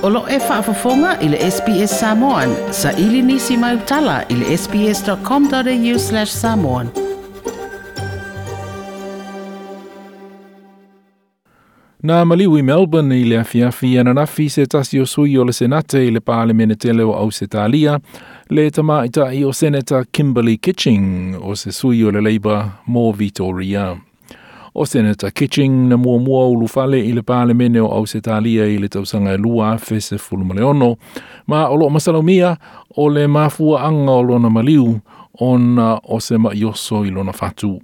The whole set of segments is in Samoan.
O lo o e faafofoga i le SBS Samoan. Saili nisi mau tala i le sbs.com.au/samoan. Na maliu i Melbourne i le afiafi ananafi se tasi o sui o le Senate i le Palemene tele o Ausetalia, le tamaitai o Senator Kimberley Kitching o se sui o le Labour mo Victoria. O Senator Kitching na muamua ulufale i le Palemene o Ausetalia i le tausaga e 2016, ma o loo masalomia o le mafuaanga o lona maliu ona o se maioso i lona fatu.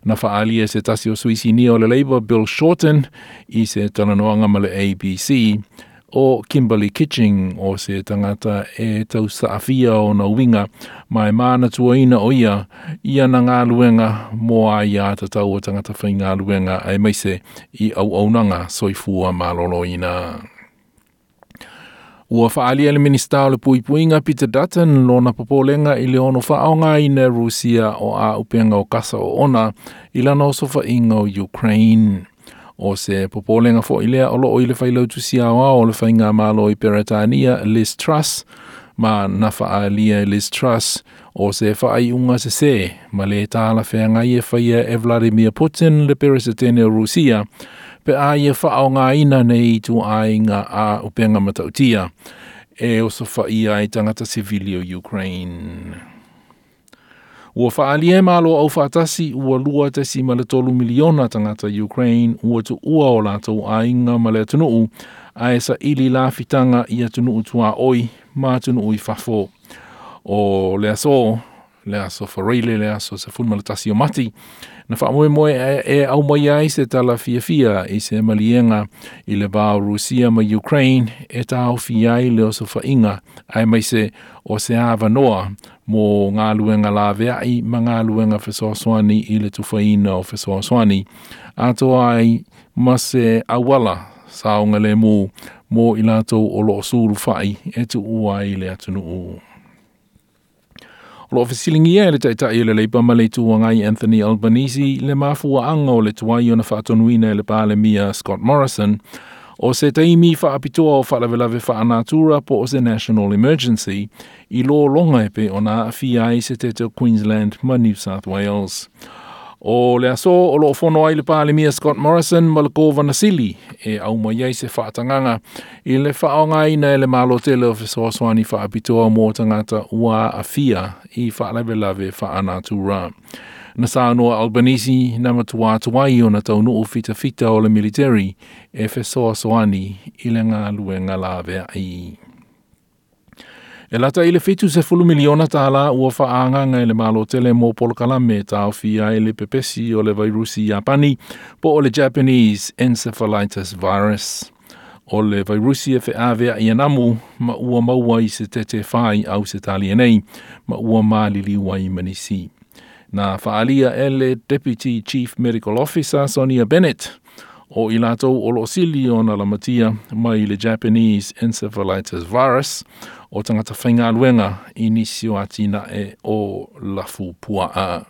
Na faalia e se tasi o sui sinia o le Labour Bill Shorten i se talanoaga ma le ABC o Kimberley Kitching o se tagata e tausaafia ona uiga ma e manatuaina o ia i ana galuega mo aiā tatau o tagata faigaluega aemaise i auaunaga soifua malōlōina. Ua faalia e le Minisita o le Puipuiga Peter Dutton lona popolega i le ono faaaogaina e Rusia o auupega o kasa oona i lana osofaiga o Ukraine. O se popolega foi lea o loo i le failautusi aoao o le faigamalo i Peretania Liz Truss, ma na faalia e Liz Truss o se faaiuga sesē ma lē talafeagai e faia e Vladimir Putin le Peresetene o Rusia pe a ia faaaogaina nei ituaiga auupega matautia e osofaia ai tagata sivili o Ukraine. Ua faalia e Malo Aufaatasi ua 2.3 miliona tagata Ukraine ua tuua o latou aiga ma le atunuu ae saili lafitaga i atunuu tuaoi ma atunuu i fafo. O le aso, le aso Faraile, le aso 11 o Mati, na faamoemoe e aumaia ai se tala fiafia i se maliega i le va o Rusia ma Ukraine e taofia ai le osofaiga aemaise o se avanoa mo galuega laveai ma galuega fesoasoani i le tufaina o fesoasoani atoa ai ma se auala saogalemu mo i latou o loo sulufai e tuua ai le atunuu. O loo fesiligia e le Taitai o le Leipa ma le Itu Agai Anthony Albanese le mafuaaga o le tuai ona faatonuina e le Palemia Scott Morrison o se taimi faapitoa o faalavelave faanatura po o se national emergency i lologa e pei ona aafia ai se tete o Queensland ma New South Wales. O le aso o loo fono ai le Palemia Scott Morrison ma le Kovana Sili e aumai ai se faatagaga i le faaaogaina e le Malo tele o fesoasoani faapitoa mo tagata ua aafia i faalavelave faanatura. Na saunoa Albanese na matua tuai ona taunuu fitafita o le military e fesoasoani i le galuega laveai. E lata i le 70 miliona tālā ua faaagaaga e le Malo tele mo polokalame e taofia ai le pepesi o le vairusi Iapani po o le Japanese Encephalitis Virus. O le vairusi e feaveai e namu ma ua maua i se tete fai Ausetalia nei ma ua maliliu ai ma nisi. Na faalia e le Deputy Chief Medical Officer Sonia Bennett o i latou o loo sili ona lamatia mai le Japanese Encephalitis Virus o tagata faigaluega i nisi o atinae o lafupuaa.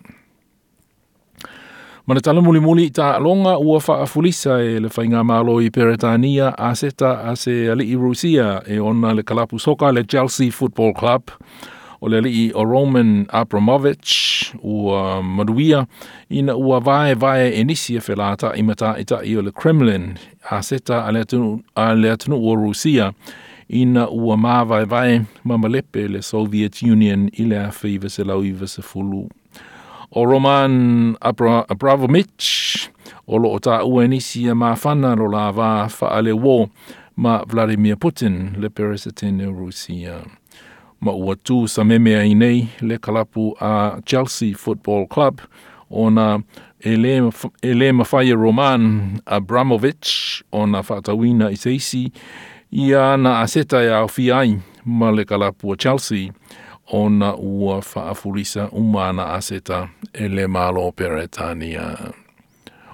Ma le tala mulimuli i taaloga ua faafulisa e le faigamalo i Peretania aseta a se alii Rusia e ona le kalapu soka le Chelsea Football Club. O le alii o Roman Abramovich ua manuia ina ua vaevae e nisi e felata'i ma ta'ita'i o le Kremlin aseta a le atunuu o Rusia ina ua mavaevae ma malepe le Soviet Union i le 1990. O Roman Abramovich o loo taua e nisi e mafana lo la va faaleuō ma Vladimir Putin le Peresetene o Rusia. Ma ua tu sameme ai nei le kalapu a Chelsea Football Club ona e lē mafai e Roman Abramovich ona faatauina i se isi ia ana aseta e aofia ai ma le kalapu a Chelsea ona ua faafulisa uma ana aseta e le Malo Peretania.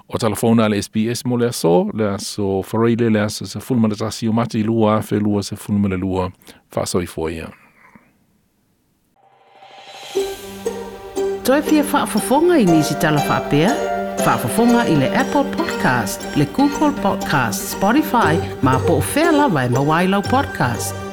O telefona le SBS mo le aso Faraile le aso 11 o Mati 2022. Faasoifua ia. Toe fia faafofoga i nisi tala faapea? Faafofoga i le Apple Podcast, le Google Podcast, Spotify, ma po o fea lava e maua ai lau podcast.